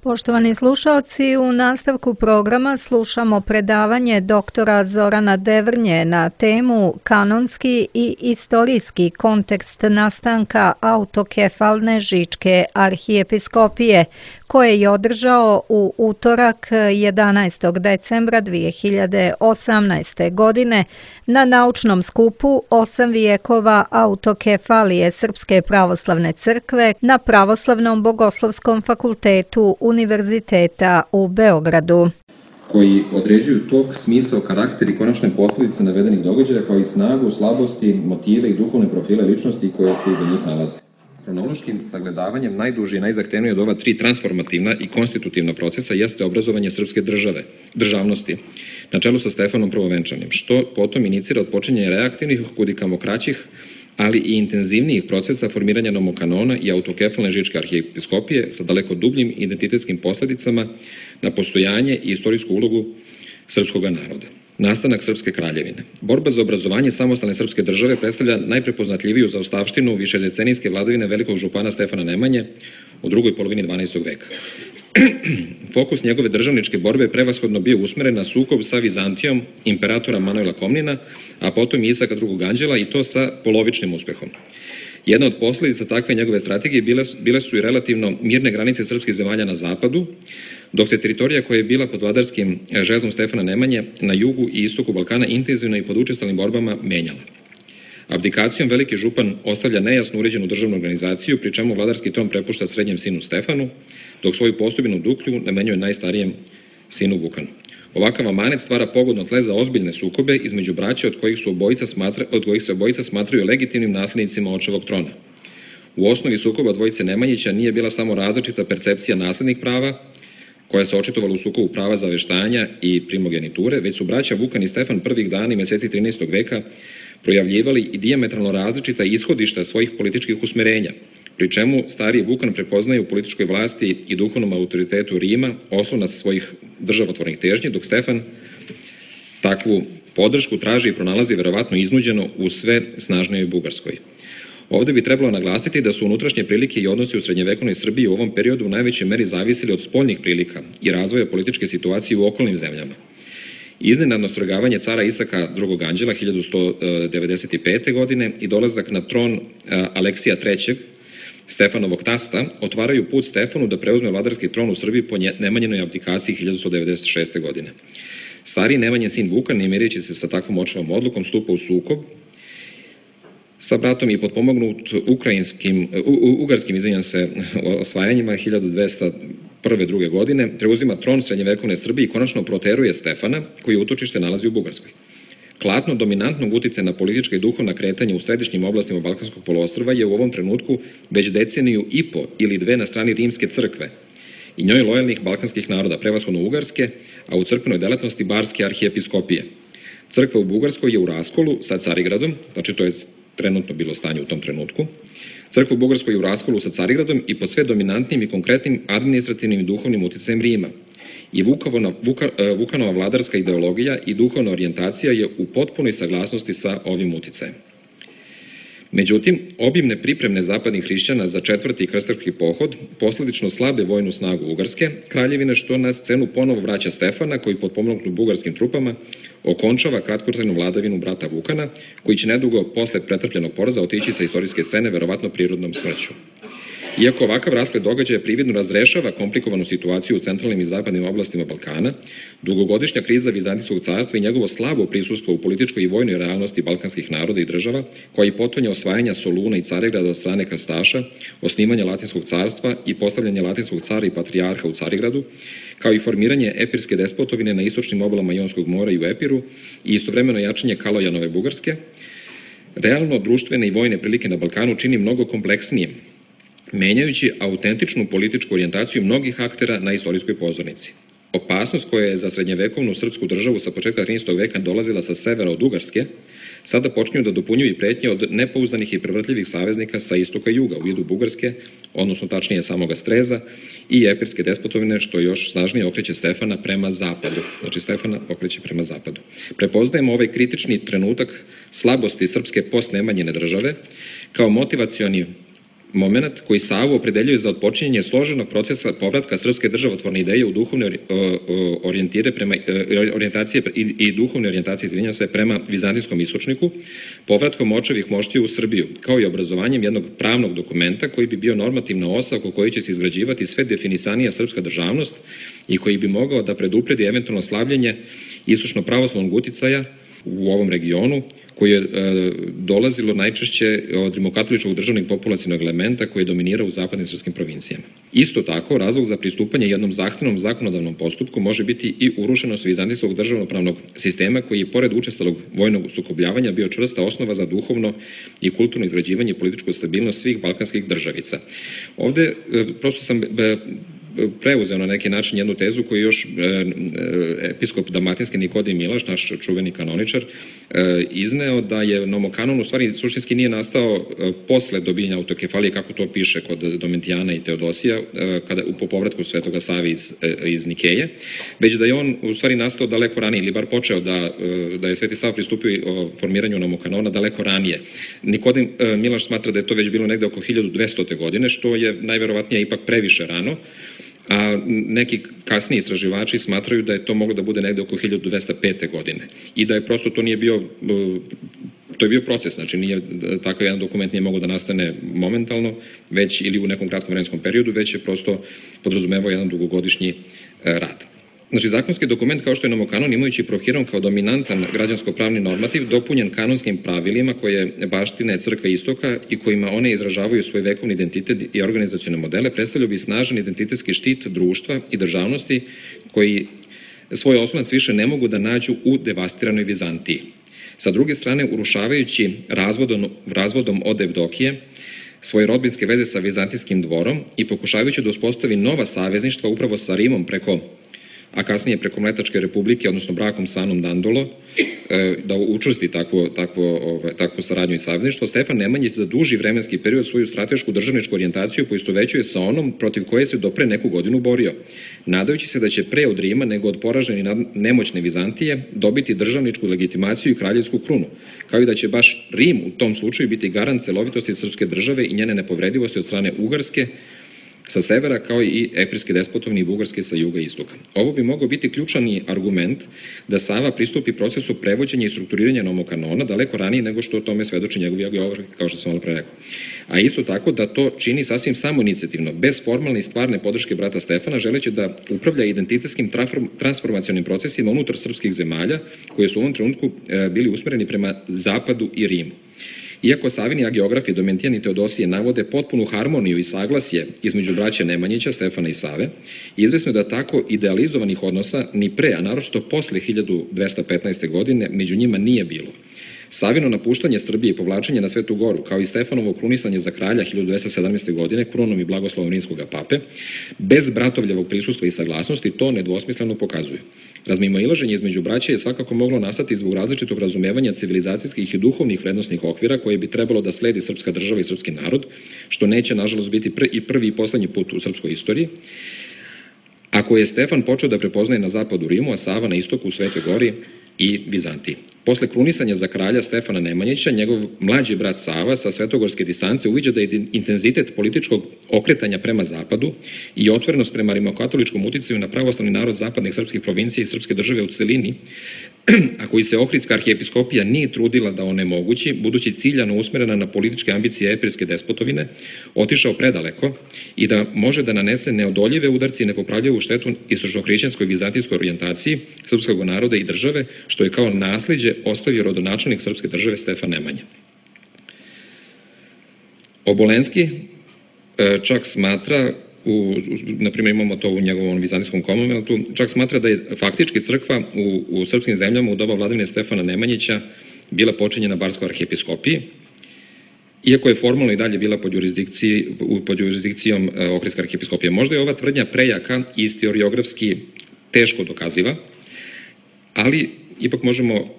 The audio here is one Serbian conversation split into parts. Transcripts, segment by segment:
Poštovani slušalci, u nastavku programa slušamo predavanje doktora Zorana Devrnje na temu Kanonski i istorijski kontekst nastanka autokefalne Žičke arhijepiskopije, koje je održao u utorak 11. decembra 2018. godine na naučnom skupu 8 vijekova autokefalije Srpske pravoslavne crkve na Pravoslavnom bogoslovskom fakultetu Univerziteta u Beogradu. Koji određuju tok, smisao, karakter i konačne posljedice navedenih događaja, kao i snagu, slabosti, motive i duhovne profile ličnosti koje se iza njih nalaze. Hronološkim sagledavanjem najduži i najzahtevniji od ova tri transformativna i konstitutivna procesa jeste obrazovanje srpske državnosti, na čelu sa Stefanom Prvovenčanim, što potom inicira odpočinjanje reaktivnih, kudikamo kraćih, ali i intenzivnijih procesa formiranja nomokanona i autokefalne Žičke arhijepiskopije sa daleko dubljim identitetskim posljedicama na postojanje i istorijsku ulogu srpskog naroda. Nastanak Srpske kraljevine. Borba za obrazovanje samostalne srpske države predstavlja najprepoznatljiviju zaostavštinu višedecenijske vladavine velikog župana Stefana Nemanje u drugoj polovini 12. veka. Fokus njegove državničke borbe prevashodno bio usmeren na sukob sa Vizantijom imperatora Manuela Komnina, a potom i Isaka II. Anđela, i to sa polovičnim uspehom. Jedna od posljedica takve njegove strategije bile su i relativno mirne granice srpskih zemalja na zapadu, dok se teritorija koja je bila pod vladarskim žezlom Stefana Nemanje na jugu i istoku Balkana intenzivno i pod učestalim borbama menjala. Abdikacijom veliki župan ostavlja nejasno uređenu državnu organizaciju, pri čemu vladarski tron prepušta srednjem sinu Stefanu, dok svoju postupinu Duklju namenjuje najstarijem sinu Vukanu. Ovakav amanet stvara pogodno tle za ozbiljne sukobe između braća od kojih se obojica smatraju legitimnim naslednicima očevog trona. U osnovi sukoba dvojice Nemanjića nije bila samo različita percepcija naslednih prava, koja se očitovala u sukobu prava zaveštanja i primogeniture, već su braća Vukan i Stefan prvih dana i meseci 13. veka projavljivali i dijametralno različita ishodišta svojih političkih usmerenja, pri čemu stariji Vukan prepoznaje u političkoj vlasti i duhovnom autoritetu Rima oslonac svojih državotvornih težnji, dok Stefan takvu podršku traži i pronalazi verovatno iznuđeno u sve snažnijoj Bugarskoj. Ovdje bi trebalo naglasiti da su unutrašnje prilike i odnosi u srednjevekovnoj Srbiji u ovom periodu u najvećoj meri zavisili od spoljnih prilika i razvoja političke situacije u okolnim zemljama. Iznenadno svrgavanje cara Isaka II. Anđela 1195. godine i dolazak na tron Aleksija III. Stefanovog tasta otvaraju put Stefanu da preuzme vladarski tron u Srbiji po Nemanjinoj abdikaciji 1196. godine. Stariji Nemanjin sin Vukan, ne mirijeći se sa takvom očevom odlukom, stupa u sukob sa bratom i potpomognut ugarskim osvajanjima 1201. godine, preuzima tron srednjevekovne Srbije i konačno proteruje Stefana, koji utočište nalazi u Bugarskoj. Klatno dominantnog uticaja na politička i duhovna kretanja u središnjim oblastima Balkanskog poluostrva je u ovom trenutku već deceniju i po ili dve na strani Rimske crkve i njoj lojalnih balkanskih naroda, prevashodno ugarske, a u crkvenoj delatnosti barske arhijepiskopije. Crkva u Bugarskoj je u raskolu sa Carigradom, znači to je trenutno bilo stanje u tom trenutku. Crkva u Bugarskoj je u raskolu sa Carigradom i pod sve dominantnim i konkretnim administrativnim i duhovnim uticajem Rima. I Vukanova vladarska ideologija i duhovna orijentacija je u potpunoj saglasnosti sa ovim uticajem. Međutim, obimne pripremne zapadnih hrišćana za četvrti krstaški pohod, posljedično slabe vojnu snagu Ugarske kraljevine, što na scenu ponovo vraća Stefana, koji potpomognut bugarskim trupama okončava kratkotrajnu vladavinu brata Vukana, koji će nedugo posle pretrpljenog poraza otići sa istorijske scene, verovatno prirodnom smrću. Iako ovakav rasplet događaja prividno razrešava komplikovanu situaciju u centralnim i zapadnim oblastima Balkana, dugogodišnja kriza Vizantijskog carstva i njegovo slabo prisustvo u političkoj i vojnoj realnosti balkanskih naroda i država, koja i potonja osvajanja Soluna i Carigrada od strane krstaša, osnivanja Latinskog carstva i postavljanje Latinskog cara i patrijarha u Carigradu, kao i formiranje epirske despotovine na istočnim obalama Jonskog mora i u Epiru i istovremeno jačanje Kalojanove Bugarske, realno društvene i vojne prilike na Balkanu čini mnogo kompleksnijim, menjajući autentičnu političku orijentaciju mnogih aktera na istorijskoj pozornici. Opasnost koja je za srednjevekovnu srpsku državu sa početka 13. veka dolazila sa severa od Ugarske, sada počinju da dopunjuju i pretnje od nepouzdanih i prevrtljivih saveznika sa istoka i juga u vidu Bugarske, odnosno tačnije samoga Streza i epirske despotovine, što još snažnije okreće Stefana prema zapadu. Znači Stefana okreće prema zapadu. Prepoznajemo ovaj kritični trenutak slabosti srpske postnemanjine države kao motivacioni moment koji Savu opredeljuje za otpočinjanje složenog procesa povratka srpske državotvorne ideje u duhovne orijentacije i duhovne orijentacije, prema vizantijskom istočniku, povratkom očevih moštiju u Srbiju, kao i obrazovanjem jednog pravnog dokumenta koji bi bio normativna osa oko koje će se izgrađivati sve definisanija srpska državnost i koji bi mogao da predupredi eventualno slavljenje istočno-pravoslavnog uticaja u ovom regionu, koje je dolazilo najčešće od rimokatoličkog državnog populacionog elementa koji je dominirao u zapadnim srpskim provincijama. Isto tako, razlog za pristupanje jednom zahtevnom zakonodavnom postupku može biti i urušenost vizantijskog državnopravnog sistema koji je, pored učestalog vojnog sukobljavanja, bio čvrsta osnova za duhovno i kulturno izgrađivanje i političku stabilnost svih balkanskih državica. Ovde prosto sam preuzeo na neki način jednu tezu koju još episkop dalmatinski Nikodem Milaš, naš čuveni kanoničar, izneo, da je nomokanon u stvari suštinski nije nastao posle dobijanja autokefalije, kako to piše kod Domitijana i Teodosija, po povratku Svetoga Save iz Nikeje, već da je on u stvari nastao daleko ranije, ili bar počeo da je Sveti Sava pristupio formiranju nomokanona daleko ranije. Nikodem Milaš smatra da je to već bilo negde oko 1200. godine, što je najverovatnije ipak previše rano, a neki kasniji istraživači smatraju da je to moglo da bude negde oko 1205. godine i da je prosto to nije bio, to je bio proces, znači nije, takav jedan dokument nije mogao da nastane momentalno, već ili u nekom kratkom vremenskom periodu, već je prosto podrazumevao jedan dugogodišnji rad. Znači, zakonski dokument kao što je nomokanon, imajući Prohirom kao dominantan građansko-pravni normativ, dopunjen kanonskim pravilima koje baštine Crkve Istoka i kojima one izražavaju svoj vekovni identitet i organizacione modele, predstavljaju bi snažan identitetski štit društva i državnosti koji svoj oslonac više ne mogu da nađu u devastiranoj Vizantiji. Sa druge strane, urušavajući razvodom od Evdokije svoje rodbinske veze sa vizantijskim dvorom i pokušavajući da uspostavi nova savezništva upravo sa Rimom a kasnije preko Mletačke republike, odnosno brakom sa Anom Dandolo, da učvrsti takvu saradnju i savezništvo, Stefan Nemanjić za duži vremenski period svoju stratešku državničku orijentaciju poistovećuje sa onom protiv koje se do pre neku godinu borio, nadajući se da će pre od Rima nego od poražene i nemoćne Vizantije dobiti državničku legitimaciju i kraljevsku krunu, kao i da će baš Rim u tom slučaju biti garant celovitosti srpske države i njene nepovredivosti od strane Ugarske sa severa, kao i epirske despotovni i bugarske sa juga i istoka. Ovo bi mogao biti ključani argument da Sava pristupi procesu prevođenja i strukturiranja nomokanona daleko ranije nego što o tome svedoči njegovi agiograf, kao što sam malo pre rekao. A isto tako da to čini sasvim samoinicijativno, bez formalne i stvarne podrške brata Stefana, želeći da upravlja identitetskim transformacionim procesima unutar srpskih zemalja, koje su u ovom trenutku bili usmereni prema zapadu i Rimu. Iako Savini agiografi Domitijan i Teodosije navode potpunu harmoniju i saglasje između braće Nemanjića, Stefana i Save, izvesno je da tako idealizovanih odnosa ni pre, a naročito posle 1215. godine među njima nije bilo. Savino napuštanje Srbije i povlačenje na Svetu Goru, kao i Stefanovo krunisanje za kralja 1217. godine krunom i blagoslovom rimskog pape, bez bratovljevog prisustva i saglasnosti, to nedvosmisleno pokazuje. Razmimoilaženje između braće je svakako moglo nastati zbog različitog razumevanja civilizacijskih i duhovnih vrednosnih okvira koje bi trebalo da sledi srpska država i srpski narod, što neće nažalost biti i prvi i poslednji put u srpskoj istoriji, a koje je Stefan počeo da prepoznaje na zapadu Rimu, a Sava na istoku u Svetoj Gori i Vizantiji. Posle krunisanja za kralja Stefana Nemanjića, njegov mlađi brat Sava sa svetogorske distance uviđa da je intenzitet političkog okretanja prema zapadu i otvorenost prema rimokatoličkom uticaju na pravoslavni narod zapadnih srpskih provincija i srpske države u celini, a koji se Ohridska arhijepiskopija nije trudila da onemogući, budući ciljano usmerena na političke ambicije epirske despotovine, otišao predaleko i da može da nanese neodoljive udarci i nepopravljivu štetu istočno-hrišćanskoj vizantijskoj orijentaciji srpskog naroda i države, što je kao nasliđe ostavio rodonačelnik srpske države Stefan Nemanja. Obolenski čak smatra, na primjer imamo to u njegovom vizantijskom komonveltu, čak smatra da je faktički crkva u srpskim zemljama u doba vladavine Stefana Nemanjića bila počinjena barskoj arhijepiskopiji, iako je formalno i dalje bila pod jurisdikcijom Ohridske arhijepiskopije. Možda je ova tvrdnja prejaka i istoriografski teško dokaziva, ali ipak možemo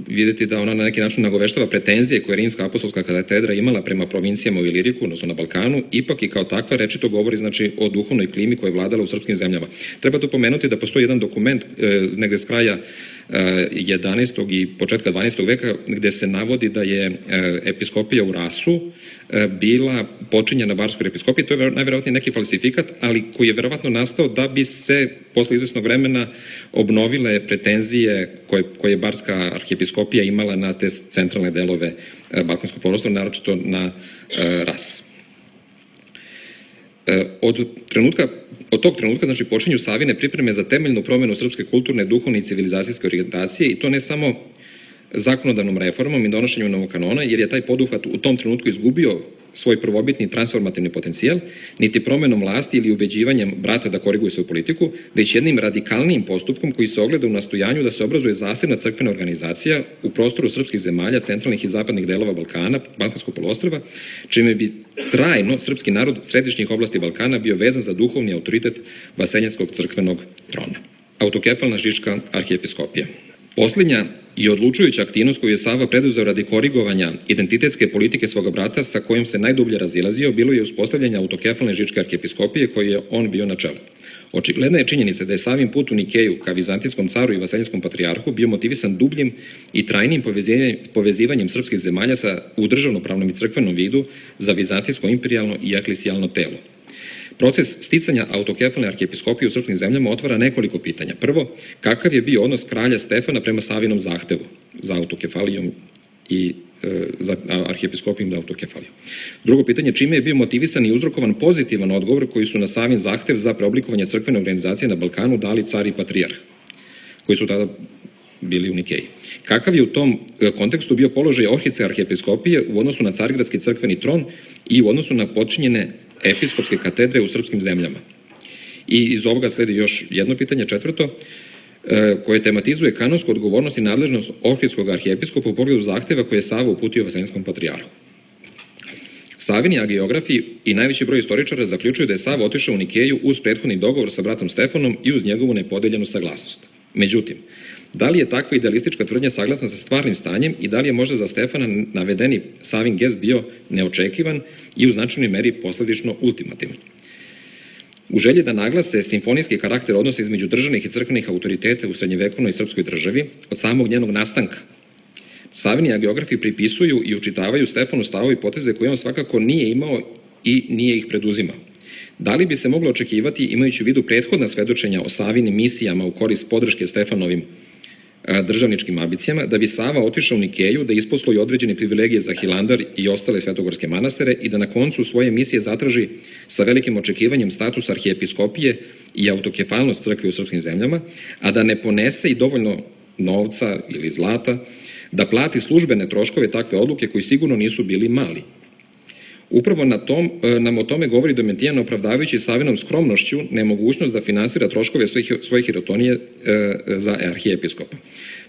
vidjeti da ona na neki način nagoveštava pretenzije koje Rimska apostolska katedra imala prema provincijama u Iliriku, odnosno na Balkanu, ipak i kao takva rečito govori znači o duhovnoj klimi koja je vladala u srpskim zemljama. Treba dopomenuti da postoji jedan dokument negde s kraja 11. i početka 12. veka, gde se navodi da je episkopija u Rasu bila počinjena barskoj episkopiji. To je najverovatnije neki falsifikat, ali koji je verovatno nastao da bi se posle izvesnog vremena obnovile pretenzije koje je barska arhijepiskopija imala na te centralne delove Balkanskog poluostrva, naročito na Ras. Od tog trenutka znači, počinju Savine pripreme za temeljnu promenu srpske kulturne, duhovne i civilizacijske orijentacije, i to ne samo zakonodavnom reformom i donošenjem novog kanona, jer je taj poduhvat u tom trenutku izgubio svoj prvobitni transformativni potencijal, niti promenom vlasti ili ubeđivanjem brata da koriguju svoju politiku, već jednim radikalnijim postupkom koji se ogleda u nastojanju da se obrazuje zasebna crkvena organizacija u prostoru srpskih zemalja, centralnih i zapadnih delova Balkana, Balkanskog poluostrva, čime bi trajno srpski narod središnjih oblasti Balkana bio vezan za duhovni autoritet vaseljenskog crkvenog trona. Autokefalna žička arhijepiskopija. Posljednja i odlučujuća aktivnost koju je Sava preduzeo radi korigovanja identitetske politike svoga brata sa kojom se najdublje razilazio bilo je uspostavljanje autokefalne žičke arhijepiskopije koje je on bio na čelu. Očigledna je činjenica da je Savin put u Nikeju ka vizantijskom caru i vaseljenskom patrijarhu bio motivisan dubljim i trajnim povezivanjem srpskih zemalja u državnopravnom i crkvenom vidu za vizantijsko imperijalno i eklesijalno telo. Proces sticanja autokefalne arhijepiskopije u srpskim zemljama otvara nekoliko pitanja. Prvo, kakav je bio odnos kralja Stefana prema Savinom zahtevu za autokefalijom i za arhijepiskopijom da autokefaliju? Drugo pitanje, čime je bio motivisan i uzrokovan pozitivan odgovor koji su na Savin zahtev za preoblikovanje crkvene organizacije na Balkanu dali car i patrijarh, koji su tada bili u Nikeji? Kakav je u tom kontekstu bio položaj Ohridske arhijepiskopije u odnosu na carigradski crkveni tron i u odnosu na počinjene episkopske katedre u srpskim zemljama? I iz ovoga sledi još jedno pitanje, četvrto, koje tematizuje kanonsku odgovornost i nadležnost Ohridskog arhijepiskopa u pogledu zahteva koje je Sava uputio vaseljenskom patrijarhu. Savini agiografi i najveći broj istoričara zaključuju da je Sava otišao u Nikeju uz prethodni dogovor sa bratom Stefanom i uz njegovu nepodeljenu saglasnost. Međutim, da li je takva idealistička tvrdnja saglasna sa stvarnim stanjem i da li je možda za Stefana navedeni Savin gest bio neočekivan i u značajnoj meri posledično ultimativan? U želji da naglase simfonijski karakter odnosa između državnih i crkvenih autoriteta u srednjevekovnoj srpskoj državi od samog njenog nastanka, Savini agiografi pripisuju i učitavaju Stefanu stavove i poteze koje on svakako nije imao i nije ih preduzimao. Da li bi se moglo očekivati, imajući u vidu prethodna svedočenja o Savinim misijama u korist podrške Stefanovim državničkim ambicijama, da bi Sava otišao u Nikeju, da isposloji određene privilegije za Hilandar i ostale svetogorske manastire i da na koncu svoje misije zatraži sa velikim očekivanjem status arhijepiskopije i autokefalnost crkve u srpskim zemljama, a da ne ponese i dovoljno novca ili zlata da plati službene troškove takve odluke koji sigurno nisu bili mali? Upravo nam o tome govori Domitijan, opravdavajući Savinom skromnošću nemogućnost da finansira troškove svoje hirotonije za arhijepiskopa.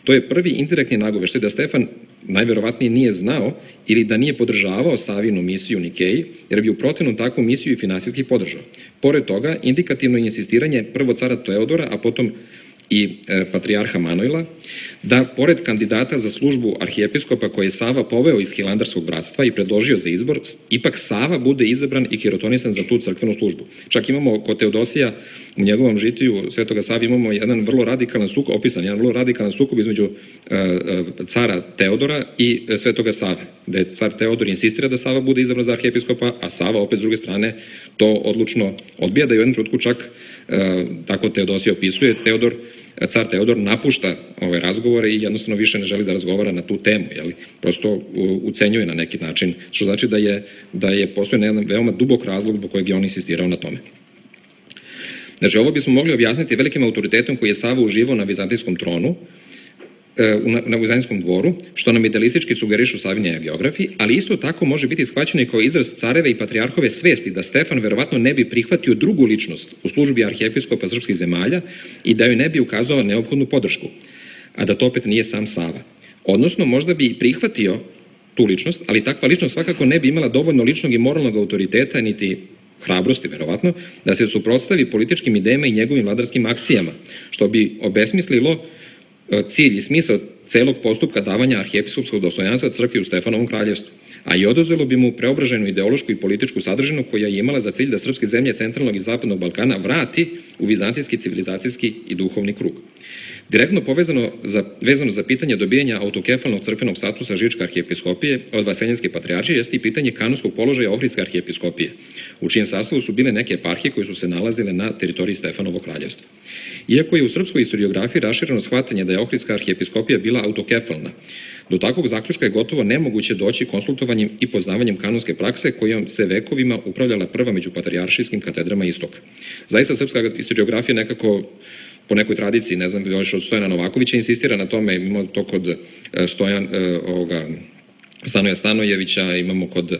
To je prvi indirektni nagoveštaj da Stefan najverovatnije nije znao ili da nije podržavao Savinu misiju u Nikeji, jer bi u protivnom takvu misiju i finansijski podržao. Pored toga, indikativno je insistiranje prvo cara Teodora, a potom i patrijarha Manojla, da pored kandidata za službu arhijepiskopa koje je Sava poveo iz Hilandarskog bratstva i predložio za izbor, ipak Sava bude izabran i hirotonisan za tu crkvenu službu. Čak imamo kod Teodosija u njegovom žitiju Svetoga Save imamo jedan vrlo radikalan sukob između cara Teodora i Svetoga Save, gde car Teodor insistira da Sava bude izabran za arhijepiskopa, a Sava opet s druge strane to odlučno odbija, da je u jednom trenutku čak, tako Teodosija opisuje, car Teodor napušta ove razgovore i jednostavno više ne želi da razgovara na tu temu, prosto ucenjuje na neki način, što znači da je postoji jedan veoma dubok razlog zbog kojeg je on insistirao na tome. Znači, ovo bismo mogli objasniti velikim autoritetom koji je Sava uživao na vizantijskom tronu, na vizantijskom dvoru, što nam idealistički sugerišu Savini agiografi, ali isto tako može biti shvaćeno i kao izraz careve i patrijarhove svesti da Stefan verovatno ne bi prihvatio drugu ličnost u službi arhijepiskopa srpskih zemalja i da joj ne bi ukazao neophodnu podršku, a da to opet nije sam Sava. Odnosno, možda bi prihvatio tu ličnost, ali takva ličnost svakako ne bi imala dovoljno ličnog i moralnog autoriteta, niti hrabrosti, verovatno, da se suprotstavi političkim idejama i njegovim vladarskim akcijama, što bi obesmislilo cilj i smisao celog postupka davanja arhijepiskopskog dostojanstva crkvi u Stefanovom kraljevstvu, a i oduzelo bi mu preobraženu ideološku i političku sadržinu koja je imala za cilj da srpske zemlje centralnog i zapadnog Balkana vrati u vizantijski, civilizacijski i duhovni krug. Direktno vezano za pitanje dobijanja autokefalnog crkvenog statusa Žičke arhijepiskopije od Vaseljenske patrijaršije jeste i pitanje kanonskog položaja Ohridske arhijepiskopije, u čijem sastavu su bile neke eparhije koje su se nalazile na teritoriji Stefanovog kraljevstva. Iako je u srpskoj historiografiji rašireno shvatanje da je Ohridska arhijepiskopija bila autokefalna, do takvog zaključka je gotovo nemoguće doći konsultovanjem i poznavanjem kanonske prakse kojom se vekovima upravljala prva među patrijaršijskim katedrama istoka. Zaista srpska historiografija nekako po nekoj tradiciji, ne znam, još od Stojana Novakovića insistira na tome, imamo to kod Stanoja Stanojevića, imamo kod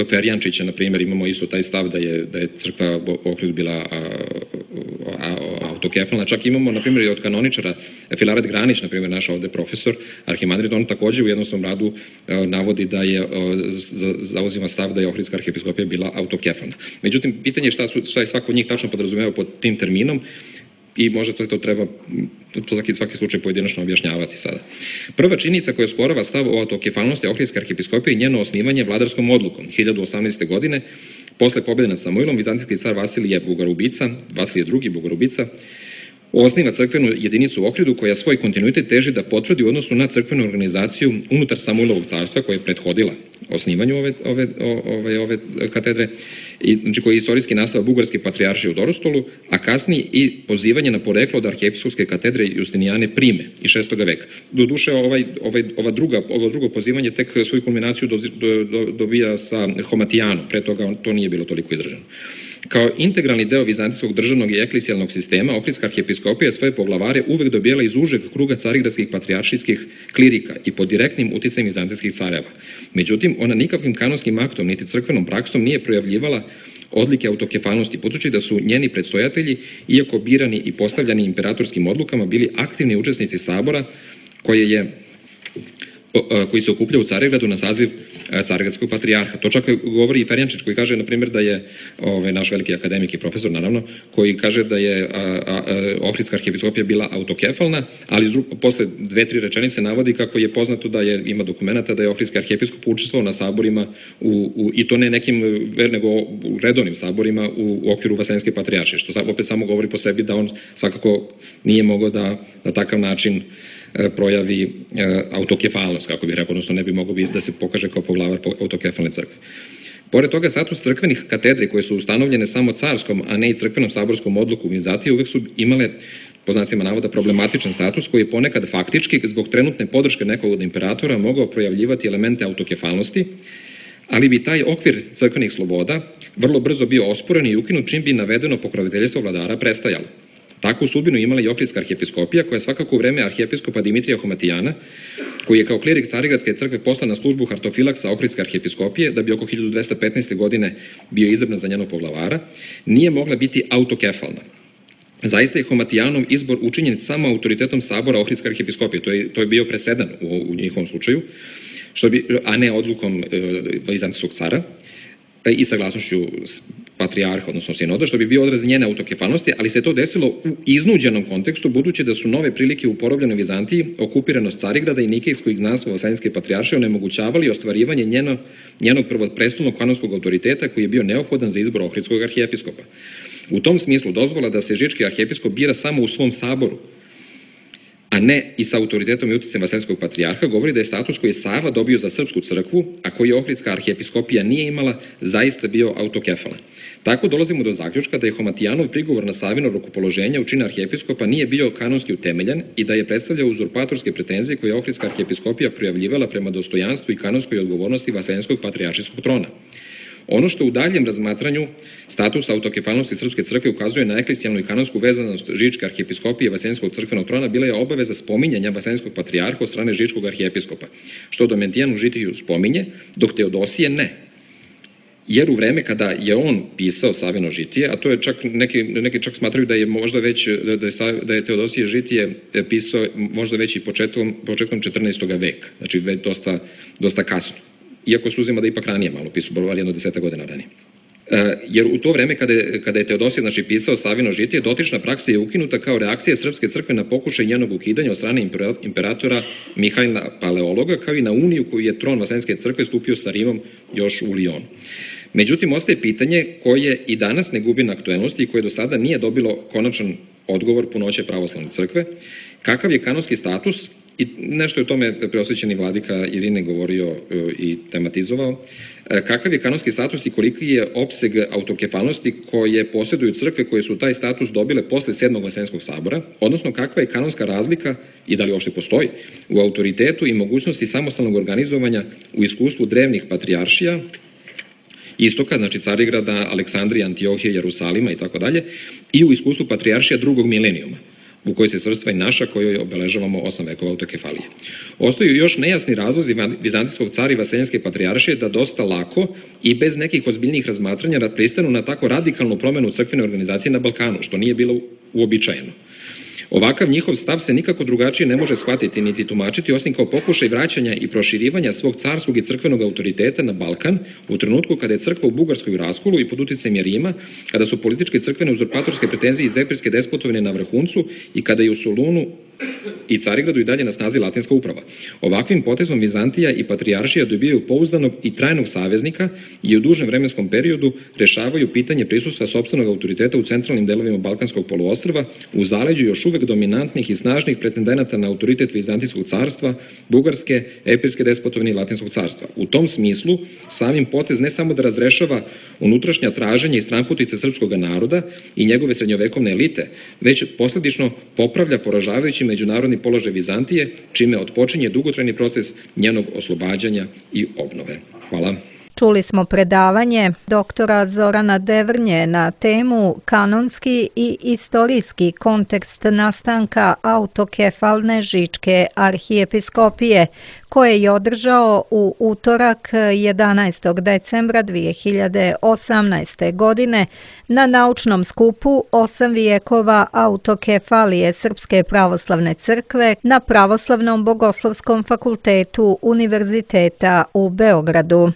Ferjančića, na primjer, imamo isto taj stav da je crkva Ohrid bila autokefalna. Čak imamo, na primjer, i od kanoničara Filaret Granić, na primjer, naš ovde profesor, arhimandrit, on takođe u jednom svom radu navodi da je zauzima stav da je Ohridska arhijepiskopija bila autokefalna. Međutim, pitanje je šta je svako od njih tačno podrazumeva pod tim terminom, i možda to treba svaki slučaj pojedinačno objašnjavati sada. Prva činjenica koja sporava stav o autokefalnosti Ohridske arhijepiskopije i njeno osnivanje vladarskom odlukom 1018. godine, posle pobjede nad Samuilom, vizantijski car Vasilije II. Bogorubica, osniva crkvenu jedinicu u Ohridu koja svoj kontinuitet teži da potvrdi u odnosu na crkvenu organizaciju unutar Samuilovog carstva koja je prethodila osnivanju ove katedre, znači koji je istorijski nastao Bugarske patrijaršije u Dorostolu, a kasnije i pozivanje na poreklo od arhijepiskopske katedre Justinijane Prime iz 6. veka. Doduše, ovo drugo pozivanje tek svoju kulminaciju dobija sa Homatijanom, pre toga to nije bilo toliko izraženo. Kao integralni deo vizantijskog državnog i eklesijalnog sistema, Ohridska arhijepiskopija svoje poglavare uvek dobijala iz užeg kruga carigradskih patrijaršijskih klirika i pod direktnim uticajem vizantijskih careva. Međutim, ona nikakvim kanonskim aktom niti crkvenom praksom nije projavljivala odlike autokefalnosti, budući da su njeni predstojatelji, iako birani i postavljani imperatorskim odlukama, bili aktivni učesnici sabora koji se okuplja u Carigradu na saziv carigradskog patrijarha. To čak govori i Ferjančić, koji kaže, na primjer, da je naš veliki akademik i profesor, naravno, koji kaže da je Ohridska arhijepiskopija bila autokefalna, ali posle 2-3 rečenice navodi kako je poznato da ima dokumenta da je Ohridski arhijepiskop učestvovao na saborima, i to ne nekim nego u redovnim saborima u okviru Vaseljenske patrijaršije, što opet samo govori po sebi da on svakako nije mogao da na takav način projavi autokefalnost, kako bih rekao, odnosno ne bi mogao da se pokaže kao poglavar autokefalne crkve. Pored toga, status crkvenih katedri koje su ustanovljene samo carskom, a ne i crkvenom saborskom odluku Vizantije, uvek su imale, po znacima navoda, problematičan status koji je ponekad faktički, zbog trenutne podrške nekog od imperatora, mogao projavljivati elemente autokefalnosti, ali bi taj okvir crkvenih sloboda vrlo brzo bio osporen i ukinut čim bi navedeno pokroviteljstvo vladara prestajalo. Takvu sudbinu imala i Ohridska arhijepiskopija, koja je svakako u vreme arhijepiskopa Dimitrija Homatijana, koji je kao klirik Carigradske crkve poslan na službu hartofilaksa Ohridske arhijepiskopije, da bi oko 1215. godine bio izabran za njenog poglavara, nije mogla biti autokefalna. Zaista je Homatijanov izbor učinjen samo autoritetom sabora Ohridske arhijepiskopije. To je bio presedan u njihovom slučaju, a ne odlukom vizantijskog cara i saglasnošću patrijarha, odnosno sinoda, što bi bio odraz njene autokefalnosti, ali se to desilo u iznuđenom kontekstu, budući da su nove prilike u porobljenoj Vizantiji, okupiranost Carigrada i nikejsko izgnanstvo Vaseljenske patrijaršije onemogućavali ostvarivanje njenog prvoprestolnog kanonskog autoriteta koji je bio neophodan za izbor Ohridskog arhijepiskopa. U tom smislu dozvola da se Žički arhijepiskop bira samo u svom saboru, a ne i sa autoritetom i uticajem Vaseljenskog patrijarha, govori da je status koji je Sava dobio za srpsku crkvu, a koji je Ohridska arhijepiskopija nije imala, zaista bio autokefalan. Tako dolazimo do zaključka da je Homatijanov prigovor na Savino rukopoloženje u činu arhijepiskopa nije bio kanonski utemeljen i da je predstavljao uzurpatorske pretenzije koje je Ohridska arhijepiskopija projavljivala prema dostojanstvu i kanonskoj odgovornosti Vaseljenskog patrijaršijskog trona. Ono što u daljem razmatranju statusa autokefalnosti Srpske crkve ukazuje na eklesijalnu i kanonsku vezanost Žičke arhijepiskopije i Vaseljenskog crkvenog trona bila je obaveza spominjanja Vaseljenskog patrijarha od strane Žičkog arhijepiskopa, što Domentijan u Žitiju spominje, dok Teodosije ne. Jer u vreme kada je on pisao Savino Žitije, a to je čak, neki čak smatraju da je možda već, da je Teodosije Žitije pisao možda već i početkom 14. veka, znači već dosta kasno. Iako se uzima da ipak ranije malo pisao, bar jedno 10 godina ranije. Jer u to vreme kada je Teodosije pisao Savino Žitije, dotična praksa je ukinuta kao reakcija Srpske crkve na pokušaj njenog ukidanja od strane imperatora Mihajla Paleologa, kao i na uniju koju je tron Vaseljenske crkve stupio sa Rimom još u Lijonu. Međutim, ostaje pitanje koje i danas ne gubi na aktuelnosti i koje do sada nije dobilo konačan odgovor punoće pravoslavne crkve, kakav je kanonski status, i nešto je o tome preosvećeni vladika Irine govorio i tematizovao, kakav je kanonski status i koliki je opseg autokefalnosti koje posjeduju crkve koje su taj status dobile posle 7. Vaseljenskog sabora, odnosno kakva je kanonska razlika i da li uopšte postoji u autoritetu i mogućnosti samostalnog organizovanja u iskustvu drevnih patrijaršija istoka, znači Carigrada, Aleksandrije, Antiohije, Jerusalima i tako dalje, i u iskustvu patrijaršija drugog milenijuma, u kojoj se svrstva i naša, kojoj obeležavamo 8 vekova autokefalije. Ostaju još nejasni razlozi Vizantijskog cara i Vaseljenske patrijaršije da dosta lako i bez nekih ozbiljnijih razmatranja pristanu na tako radikalnu promenu crkvene organizacije na Balkanu, što nije bilo uobičajeno. Ovakav njihov stav se nikako drugačije ne može shvatiti niti tumačiti osim kao pokušaj vraćanja i proširivanja svog carskog i crkvenog autoriteta na Balkan u trenutku kada je crkva u Bugarskoj u raskolu i pod uticajem Rima, kada su političke crkvene uzurpatorske pretenzije iz epirske despotovine na vrhuncu i kada je u Solunu i Carigradu i dalje na snazi latinska uprava. Ovakvim potezom Vizantija i patrijaršija dobijaju pouzdanog i trajnog saveznika i u dužem vremenskom periodu rešavaju pitanje prisustva sopstvenog autoriteta u centralnim delovima Balkanskog poluostrva, u zaleđu još uvek dominantnih i snažnih pretendenata na autoritet Vizantijskog carstva, Bugarske, epirske despotovine i latinskog carstva. U tom smislu, samim potez ne samo da razrešava unutrašnja traženja i stranputice srpskog naroda i njegove srednjovekovne elite, već posledično popravlja poražavajući međunarodni položaj Vizantije, čime otpočinje dugotrajni proces njenog oslobađanja i obnove. Hvala. Čuli smo predavanje doktora Zorana Devrnje na temu kanonski i istorijski kontekst nastanka autokefalne Žičke arhijepiskopije, koje je održao u utorak 11. decembra 2018. godine na naučnom skupu 8 vijekova autokefalije Srpske pravoslavne crkve na Pravoslavnom bogoslovskom fakultetu Univerziteta u Beogradu.